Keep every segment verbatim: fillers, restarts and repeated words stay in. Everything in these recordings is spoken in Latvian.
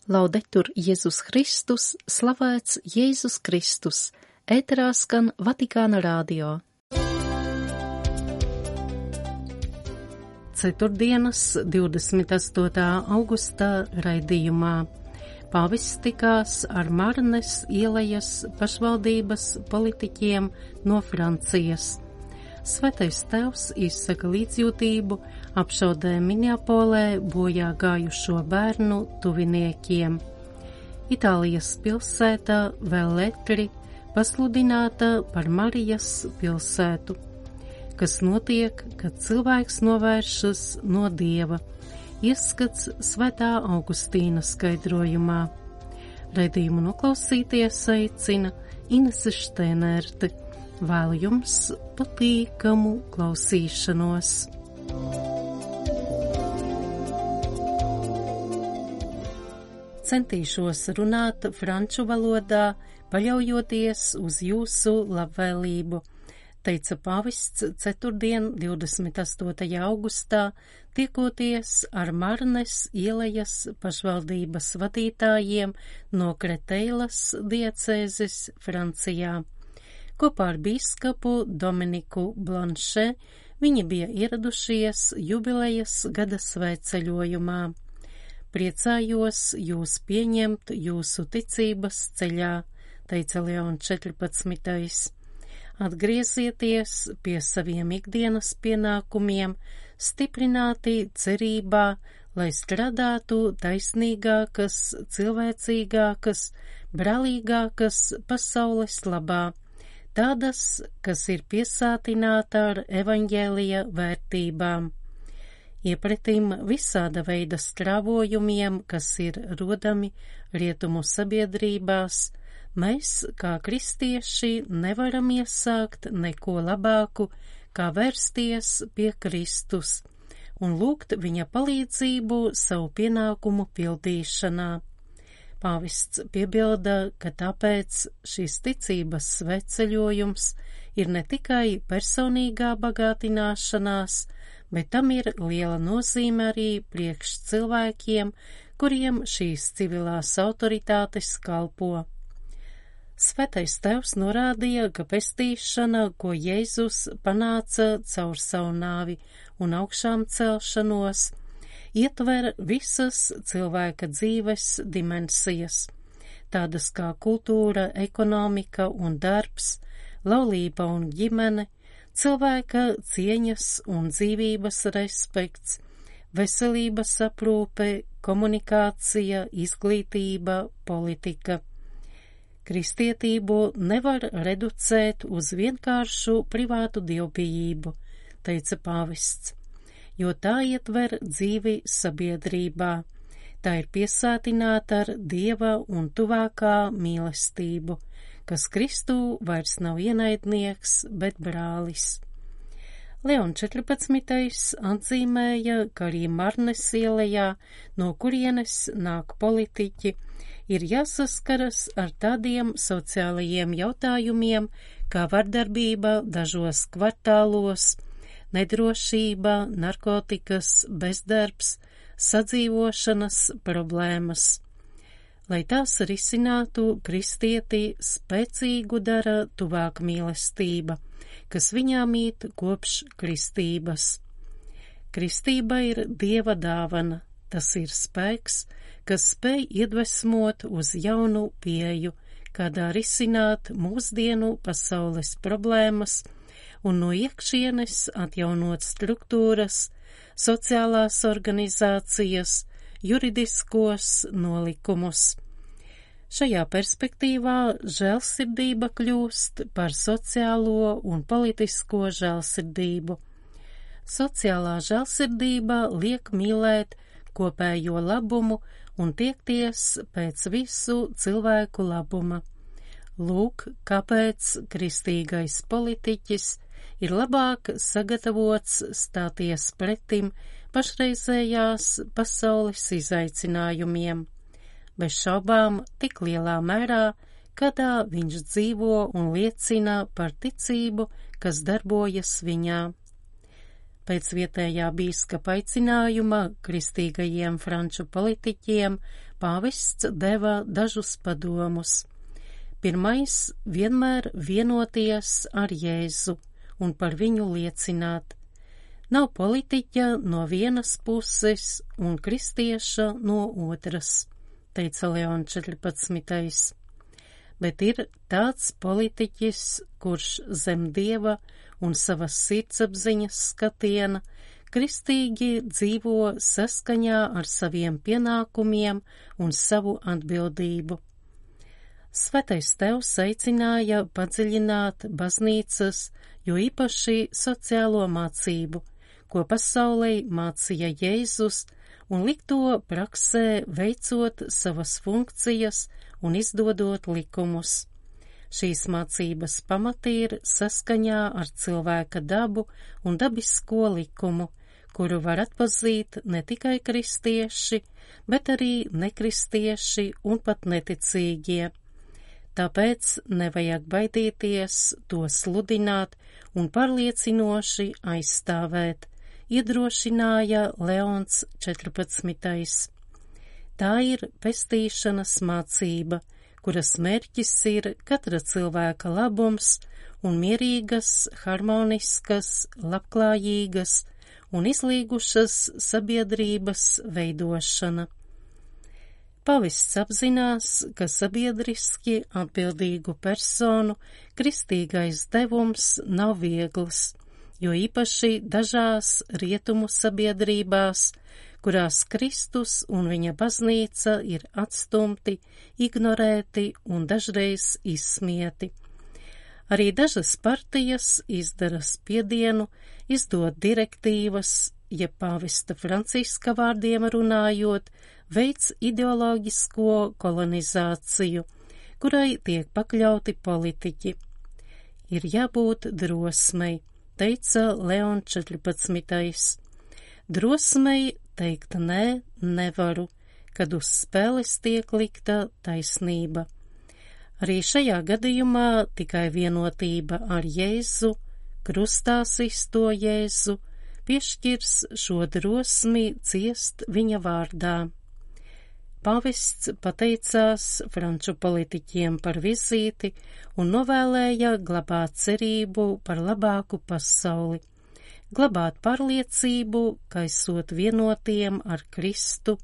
Laudetur Jēzus Kristus, slavēts Jēzus Kristus, ēterā skan Vatikāna radio. Ceturtdienas, divdesmit astotā augustā raidījumā pāvests tikās ar Marnes ielejas pašvaldības politiķiem no Francijas. Svētais Tēvs izsaka līdzjūtību apšaudē Minneapolē bojā gājušo bērnu tuviniekiem. Itālijas pilsēta Velletri pasludināta par Marijas pilsētu. Kas notiek, kad cilvēks novēršas no Dieva? Ieskats Svētā Augustīna skaidrojumā. Raidījumu noklausīties aicina Inese Štēnerte. Vēlu jums patīkamu klausīšanos. Centīšos runāt franču valodā, paļaujoties uz jūsu labvēlību, teica pāvests ceturtdien, divdesmit astotajā augustā, tiekoties ar Marnes ielejas pašvaldības vadītājiem no Kreteilas diecēzes Francijā. Kopā ar bīskapu Dominiku Blanšē viņi bija ieradušies jubilejas gada svētceļojumā. Priecājos jūs pieņemt jūsu ticības ceļā, teica Leons četrpadsmitais. Atgriezieties pie saviem ikdienas pienākumiem, stiprināti cerībā, lai strādātu taisnīgākas, cilvēcīgākas, brālīgākas pasaules labā. Tādas, kas ir piesātināta ar evaņģēlija vērtībām. Iepretim visāda veida strāvojumiem, kas ir rodami rietumu sabiedrībās, mēs, kā kristieši, nevaram iesākt neko labāku, kā vērsties pie Kristus un lūgt viņa palīdzību savu pienākumu pildīšanā. Pāvests piebilda, ka tāpēc šīs ticības svētceļojums ir ne tikai personīgā bagātināšanās, bet tam ir liela nozīme arī priekš cilvēkiem, kuriem šīs civilās autoritātes kalpo. Svētais Tēvs norādīja, ka pestīšana, ko Jēzus panāca caur savu nāvi un augšām celšanos, ietver visas cilvēka dzīves dimensijas, tādas kā kultūra, ekonomika un darbs, laulība un ģimene, cilvēka cieņas un dzīvības respekts, veselības aprūpe, komunikācija, izglītība, politika. Kristietību nevar reducēt uz vienkāršu privātu dievbijību, teica pāvests, jo tā ietver dzīvi sabiedrībā. Tā ir piesātināta ar Dieva un tuvākā mīlestību, kas Kristū vairs nav ienaidnieks, bet brālis. Leons četrpadsmitais atzīmēja, ka arī Marnes ielejā, no kurienes nāk politiķi, ir jāsaskaras ar tādiem sociālajiem jautājumiem, kā vardarbība dažos kvartālos, nedrošība, narkotikas, bezdarbs, sadzīvošanas problēmas. Lai tās risinātu, kristieti spēcīgu dara tuvāk mīlestība, kas viņā mīt kopš kristības. Kristība ir Dieva dāvana, tas ir spēks, kas spēj iedvesmot uz jaunu pieeju, kādā risināt mūsdienu pasaules problēmas, un no iekšienes atjaunot struktūras, sociālās organizācijas, juridiskos nolikumus. Šajā perspektīvā žēlsirdība kļūst par sociālo un politisko žēlsirdību. Sociālā žēlsirdība liek mīlēt kopējo labumu un tiekties pēc visu cilvēku labuma. Lūk, kāpēc kristīgais politiķis ir labāk sagatavots stāties pretim pašreizējās pasaules izaicinājumiem, bez šaubām tik lielā mērā, kādā viņš dzīvo un liecina par ticību, kas darbojas viņā. Pēc vietējā bīskapa aicinājuma kristīgajiem franču politiķiem pāvests deva dažus padomus. Pirmais – vienmēr vienoties ar Jēzu un par viņu liecināt. Nav politiķa no vienas puses un kristieša no otras, teica Leons četrpadsmitais. Bet ir tāds politiķis, kurš zem Dieva un savas sirdsapziņas skatiena kristīgi dzīvo saskaņā ar saviem pienākumiem un savu atbildību. Svētais Tēvs aicināja padziļināt baznīcas, jo īpaši sociālo mācību, ko pasaulē mācīja Jēzus, un likt to praksē, veicot savas funkcijas un izdodot likumus. Šīs mācības pamati ir saskaņā ar cilvēka dabu un dabisko likumu, kuru var atpazīt ne tikai kristieši, bet arī nekristieši un pat neticīgie. Tāpēc nevajag baidīties to sludināt un pārliecinoši aizstāvēt, iedrošināja Leons četrpadsmitais. Tā ir pestīšanas mācība, kuras mērķis ir katra cilvēka labums un mierīgas, harmoniskas, labklājīgas un izlīgušas sabiedrības veidošana. Pavests apzinās, ka sabiedriski atbildīgu personu kristīgais devums nav viegls, jo īpaši dažās rietumu sabiedrībās, kurās Kristus un viņa baznīca ir atstumti, ignorēti un dažreiz izsmieti. Arī dažas partijas izdara spiedienu, izdod direktīvas, ja pāvesta Franciska vārdiem runājot, veids ideoloģisko kolonizāciju, kurai tiek pakļauti politiķi. Ir jābūt drosmei, teica Leons četrpadsmitais. Drosmei teikt nē, nevaru, kad uz spēles tiek likta taisnība. Arī šajā gadījumā tikai vienotība ar Jēzu, krustā sisto Jēzu, piešķirs šo drosmi ciest viņa vārdā. Pāvests pateicās franču politiķiem par vizīti un novēlēja glabāt cerību par labāku pasauli, glabāt pārliecību, ka esot vienotiem ar Kristu,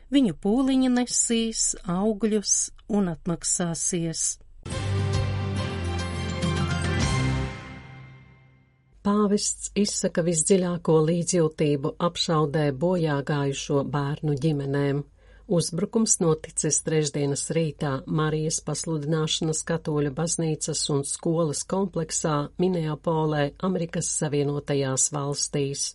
viņu pūliņi nesīs augļus un atmaksāsies. Pāvests izsaka visdziļāko līdzjūtību apšaudē bojā gājušo bērnu ģimenēm. Uzbrukums noticis trešdienas rītā Marijas pasludināšanas katoļu baznīcas un skolas kompleksā Minneapolē, Amerikas Savienotajās valstīs.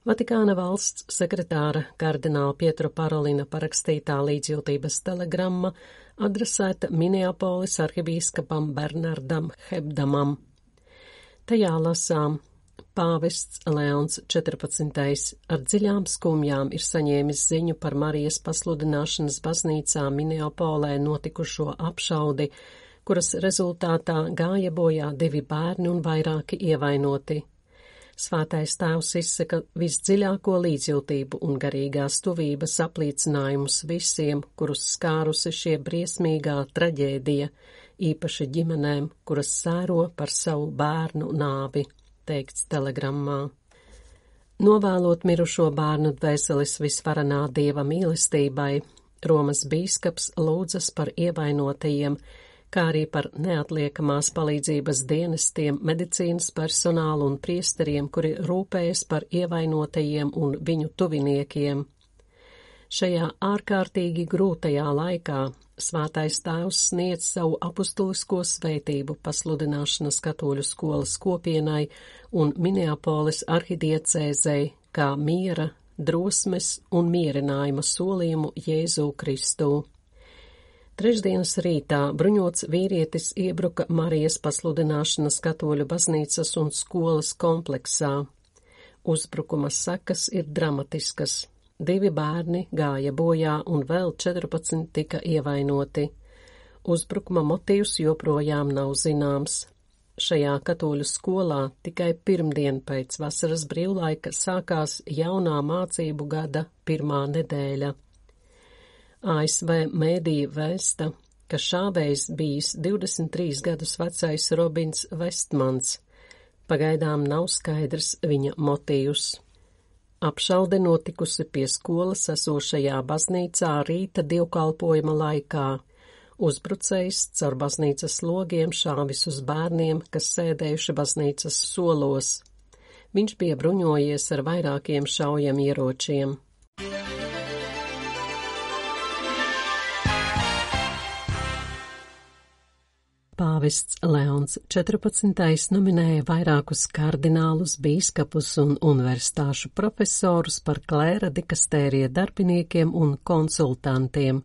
Vatikāna valsts sekretāra kardināla Pietro Parolina parakstītā līdzjūtības telegramma adresēta Minneapolis arhibīskapam Bernardam Hebdamam. Tajā lasām: Pāvests Leons četrpadsmitais ar dziļām skumjām ir saņēmis ziņu par Marijas pasludināšanas baznīcā Minneapolē notikušo apšaudi, kuras rezultātā gāja bojā divi bērni un vairāki ievainoti. Svētais Tēvs izsaka visdziļāko līdzjūtību un garīgās tuvības apliecinājumus visiem, kurus skārusi šie briesmīgā traģēdija, īpaši ģimenēm, kuras sēro par savu bērnu nāvi, teikts telegrammā. Novēlot mirušo bērnu dvēseles visvarenā Dieva mīlestībai, Romas bīskaps lūdzas par ievainotajiem, kā arī par neatliekamās palīdzības dienestiem, medicīnas personālu un priesteriem, kuri rūpējas par ievainotajiem un viņu tuviniekiem. Šajā ārkārtīgi grūtajā laikā Svētais Tēvs sniedz savu apustulisko svētību pasludināšanas katoļu skolas kopienai un Minneapolis arhidiecēzei kā miera, drosmes un mierinājuma solījumu Jēzu Kristu. Trešdienas rītā bruņots vīrietis iebruka Marijas pasludināšanas katoļu baznīcas un skolas kompleksā. Uzbrukuma sekas ir dramatiskas. Divi bērni gāja bojā un vēl četrpadsmit tika ievainoti. Uzbrukuma motīvs joprojām nav zināms. Šajā katoļu skolā tikai pirmdien pēc vasaras brīvlaika sākās jaunā mācību gada pirmā nedēļa. A S V mēdīja vēsta, ka šāvējs bijis divdesmit trīs gadus vecais Robins Vestmans. Pagaidām nav skaidrs viņa motīvs. Apšaude notikusi pie skolas esošajā baznīcā rīta dievkalpojuma laikā. Uzbrucējs caur baznīcas logiem šāvis uz bērniem, kas sēdējuši baznīcas solos. Viņš bija bruņojies ar vairākiem šaujamieročiem. Pāvests Leons četrpadsmitais nominēja vairākus kardinālus, bīskapus un universitāšu profesorus par klēra dikastērija darbiniekiem un konsultantiem.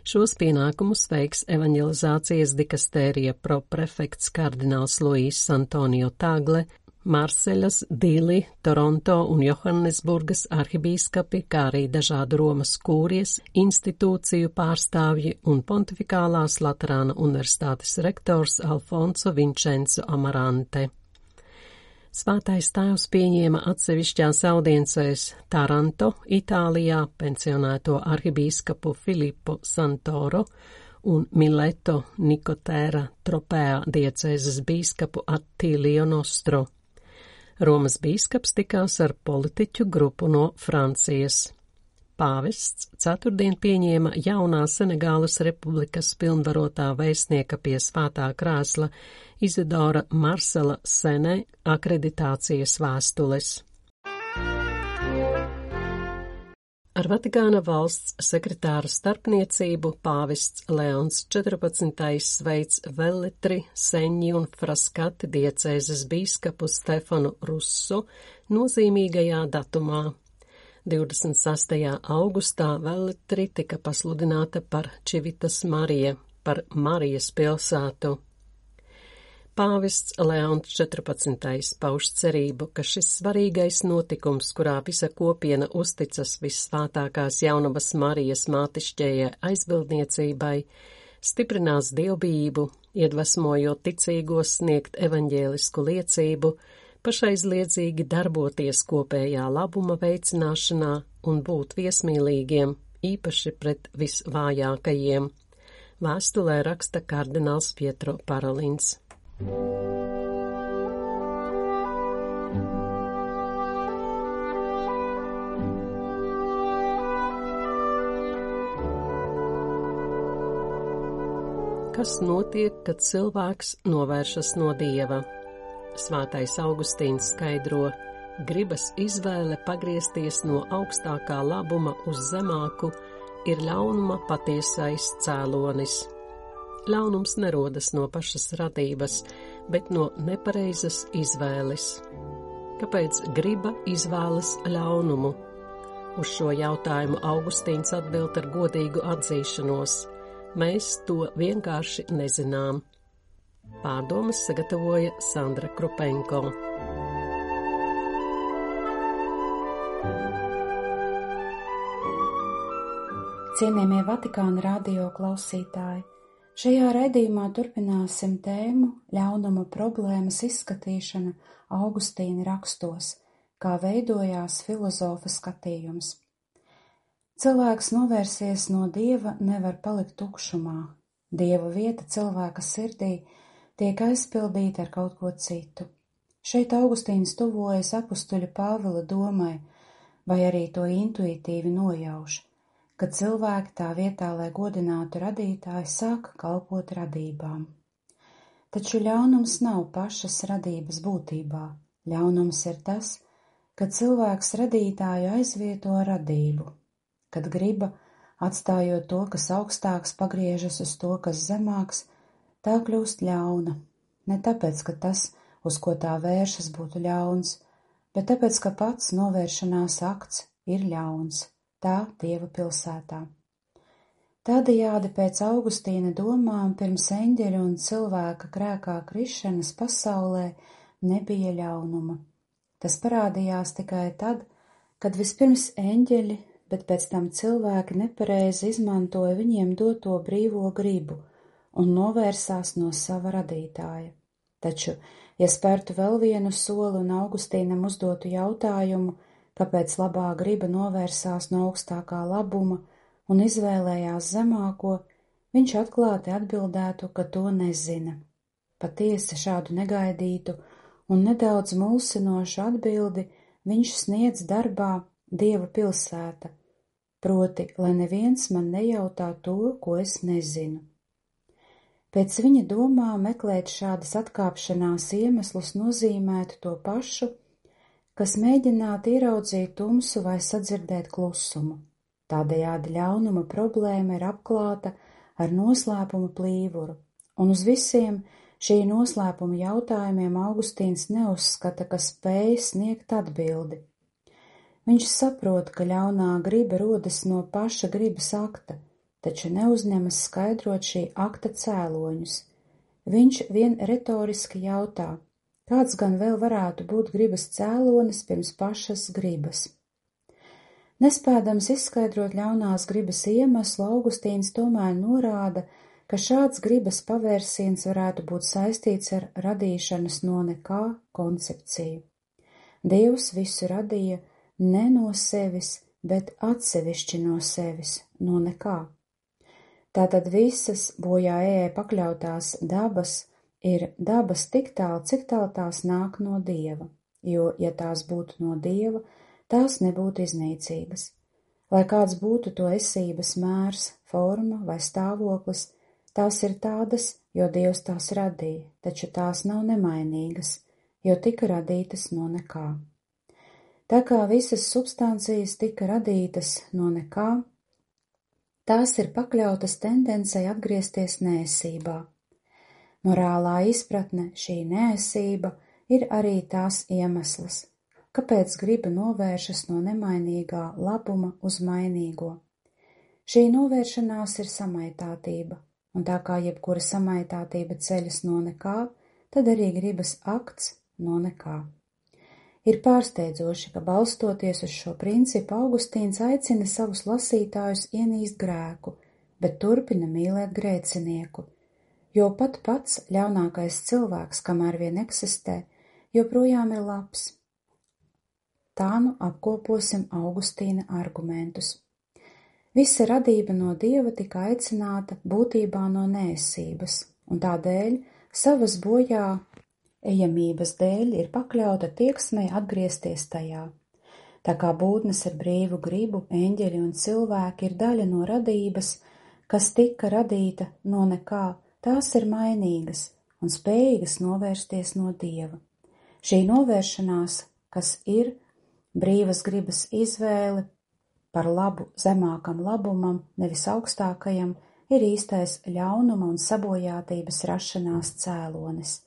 Šos pienākumus veiks evaņelizācijas dikastērija proprefekts kardināls Luīs Antonio Tagle, Marseļas, Dili, Toronto un Johannesburgas arhibīskapi, kā arī dažādu Romas kūrijas, institūciju pārstāvji un Pontifikālās Laterāna universitātes rektors Alfonso Vincenzo Amarante. Svētais tēvs pieņēma atsevišķās audiencēs Taranto, Itālijā, pensionēto arhibīskapu Filippo Santoro un Mileto Nikotēra Tropea diecēzes bīskapu Attilio Nostro. Romas bīskaps tikās ar politiķu grupu no Francijas. Pāvests ceturtdien pieņēma jaunā Senegālas republikas pilnvarotā vēstnieka pie svētā krēsla Izidora Marsela Sene akreditācijas vēstules. Ar Vatikāna valsts sekretāra starpniecību pāvests Leons četrpadsmitais sveic Velletri, Seņi un Fraskati diecēzes bīskapu Stefanu Russo nozīmīgajā datumā. divdesmit sastajā augustā Velletri tika pasludināta par Čivitas Marija, par Marijas pilsētu. Pāvests Leons četrpadsmitais pauž cerību, ka šis svarīgais notikums, kurā visa kopiena uzticas vissvētākās jaunavas Marijas mātišķējai aizbildniecībai, stiprinās dievbijību, iedvesmojot ticīgos sniegt evaņģēlisku liecību, pašaizliedzīgi darboties kopējā labuma veicināšanā un būt viesmīlīgiem, īpaši pret visvājākajiem. Vēstulē raksta kardināls Pietro Parolins. Kas notiek, kad cilvēks novēršas no Dieva? Svētais Augustīns skaidro, gribas izvēle pagriezties no augstākā labuma uz zemāku ir ļaunuma patiesais cēlonis. Ļaunums nerodas no pašas radības, bet no nepareizas izvēles. Kāpēc griba izvēlas ļaunumu? Uz šo jautājumu Augustīns atbild ar godīgu atzīšanos. Mēs to vienkārši nezinām. Pārdomas sagatavoja Sandra Krupenko. Cienījamie Vatikāna radio klausītāji, šajā raidījumā turpināsim tēmu ļaunuma problēmas izskatīšana Augustīna rakstos, kā veidojās filozofa skatījums. Cilvēks novērsies no Dieva nevar palikt tukšumā. Dieva vieta cilvēka sirdī tiek aizpildīta ar kaut ko citu. Šeit Augustīns tuvojas apustuļa Pāvila domai, vai arī to intuitīvi nojauš, ka cilvēki tā vietā, lai godinātu radītāju, sāk kalpot radībām. Taču ļaunums nav pašas radības būtībā. Ļaunums ir tas, ka cilvēks radītāju aizvieto ar radību, kad griba, atstājot to, kas augstāks, pagriežas uz to, kas zemāks, tā kļūst ļauna. Ne tāpēc, ka tas, uz ko tā vēršas, būtu ļauns, bet tāpēc, ka pats novēršanās akts ir ļauns. Tā Dieva pilsētā. Tādējādi pēc Augustīna domām pirms eņģeļa un cilvēka grēkā krišanas pasaulē nebija ļaunuma. Tas parādījās tikai tad, kad vispirms eņģeļi, bet pēc tam cilvēki nepareizi izmantoja viņiem doto brīvo gribu un novērsās no sava radītāja. Taču, ja spērtu vēl vienu soli un Augustīnam uzdotu jautājumu, kāpēc labā griba novērsās no augstākā labuma un izvēlējās zemāko, viņš atklāti atbildētu, ka to nezina. Patiesi šādu negaidītu un nedaudz mulsinošu atbildi viņš sniedz darbā Dieva pilsēta, proti, lai neviens man nejautā to, ko es nezinu. Pēc viņa domām meklēt šādas atkāpšanās iemeslus nozīmētu to pašu, kas mēģināt ieraudzīt tumsu vai sadzirdēt klusumu. Tādējādi ļaunuma problēma ir apklāta ar noslēpuma plīvuru, un uz visiem šī noslēpuma jautājumiem Augustīns neuzskata, ka spēj sniegt atbildi. Viņš saprot, ka ļaunā griba rodas no paša gribas akta, taču neuzņemas skaidrot šī akta cēloņus. Viņš vien retoriski jautā, kāds gan vēl varētu būt gribas cēlonis pirms pašas gribas. Nespēdams izskaidrot ļaunās gribas iemeslu, Augustīns tomēr norāda, ka šāds gribas pavērsiens varētu būt saistīts ar radīšanas no nekā koncepciju. Dievs visu radīja ne no sevis, bet atsevišķi no sevis, no nekā. Tātad visas bojā ejai pakļautās dabas ir dabas tik tālu, cik tālu tās nāk no Dieva, jo, ja tās būtu no Dieva, tās nebūtu iznīcīgas. Lai kāds būtu to esības mērs, forma vai stāvoklis, tās ir tādas, jo Dievs tās radīja, taču tās nav nemainīgas, jo tika radītas no nekā. Tā kā visas substancijas tika radītas no nekā, tās ir pakļautas tendencei atgriezties neesībā. Morālā izpratne, šī neesība, ir arī tās iemesls, kāpēc griba novēršas no nemainīgā labuma uz mainīgo. Šī novēršanās ir samaitātība, un tā kā jebkura samaitātība ceļas no nekā, tad arī gribas akts no nekā. Ir pārsteidzoši, ka balstoties uz šo principu Augustīns aicina savus lasītājus ienīst grēku, bet turpina mīlēt grēcinieku, jo pat pats ļaunākais cilvēks, kamēr vien eksistē, joprojām ir labs. Tā nu apkoposim Augustīna argumentus. Visa radība no Dieva tika aicināta būtībā no neesības, un tādēļ savas bojā ejamības dēļ ir pakļauta tieksmei atgriezties tajā. Tā kā būtnes ar brīvu gribu, eņģeļi un cilvēki ir daļa no radības, kas tika radīta no nekā, tās ir mainīgas un spējīgas novērsties no Dieva. Šī novēršanās, kas ir brīvas gribas izvēle par labu zemākam labumam, nevis augstākajam, ir īstais ļaunuma un sabojātības rašanās cēlonis.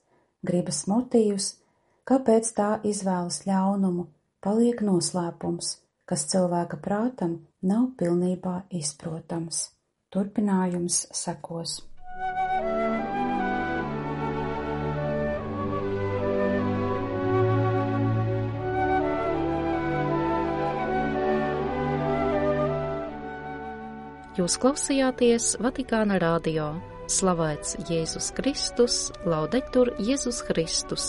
Gribas motīvs, kāpēc tā izvēlas ļaunumu, paliek noslēpums, kas cilvēka prātam nav pilnībā izprotams. Turpinājums sekos. Jūs klausījāties Vatikāna radio. Slavēts Jēzus Kristus, laudetur Jēzus Kristus.